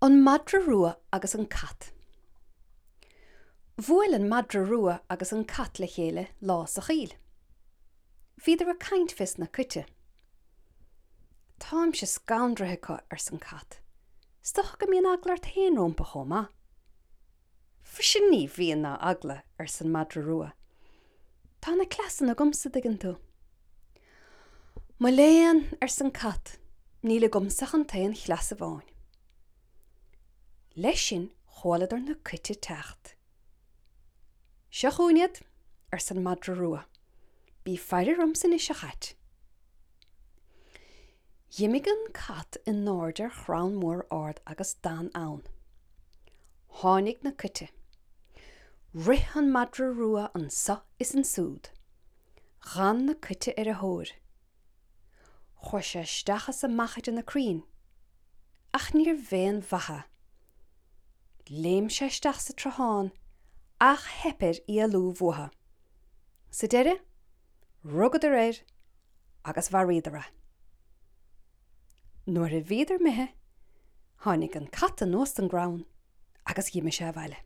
An Madra Rua agus an Cat. Bhuail an madra rua agus an cat le chéile lá sa choill. Bhíodar ag caint fés na cait. Táimse scanraithe acu, arsa an cat. 'S dócha go mbíonn eagla ort féin rompu chomh maith. Mhuise ní bhíonn ná eagla, arsa an madra rua. Tá na cleasanna agamsa, dtuigeann tú. Mo léan, arsa an cat, níl agamsa ach an t-aon chleas amháin. Leis sin chualadar na cait ag teacht. Seo chugainn iad, arsa an madra rua. Bí ag faire ormsa anois, a chait. Dh'imigh an cat in airde ar chrann mór ard agus d'fhan ann. Tháinig na cait. Rith an madra rua anso is ansúd. Dh'fhan na cait ar a thóir. Chuaigh sé isteach is amach idir na crainn, ach níorbh aon mhaith é. Léim sé isteach sa tsruthán ach theip air éalú uathu. Sa deireadh, rugadar air agus mharaíodar é. Nuair a bhíodar imithe, tháinig an cat anuas den gcrann agus dh'imigh sé abhaile.